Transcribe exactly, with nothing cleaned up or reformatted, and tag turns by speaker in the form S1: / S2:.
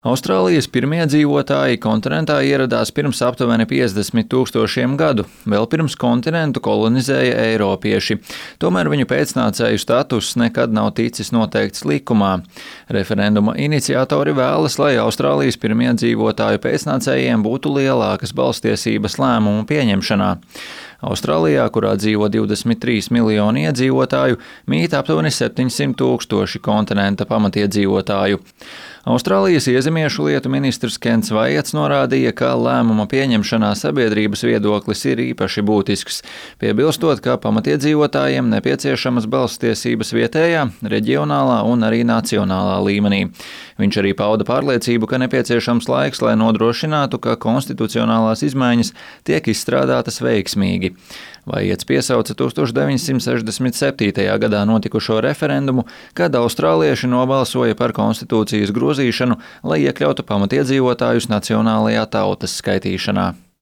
S1: Austrālijas pirmie dzīvotāji kontinentā ieradās pirms aptuveni piecdesmit tūkstošiem gadu, vēl pirms kontinentu kolonizēja eiropieši. Tomēr viņu pēcnācēju status nekad nav ticis noteikts likumā. Referenduma iniciatori vēlas, lai Austrālijas pirmie dzīvotāju pēcnācējiem būtu lielākas balstiesības lēmumu pieņemšanā. Austrālijā, kurā dzīvo divdesmit trīs miljoni iedzīvotāju, mīt aptuveni septiņsimt tūkstoši kontinenta pamatiedzīvotāju. Austrālijas iezemiešu lietu ministrs Kents Vaiets norādīja, ka lēmuma pieņemšanā sabiedrības viedoklis ir īpaši būtisks, piebilstot, ka pamatiedzīvotājiem nepieciešamas balsstiesības vietējā, reģionālā un arī nacionālā līmenī. Viņš arī pauda pārliecību, ka nepieciešams laiks, lai nodrošinātu, ka konstitucionālās izmaiņas tiek izstrādātas veiksmīgi. Vaiets piesauca tūkstoš deviņsimt sešdesmit septītajā gadā notikušo referendumu, kad austrālieši nobalsoja par konstitūcijas grozīšanu, lai iekļautu pamatiedzīvotājus nacionālajā tautas skaitīšanā.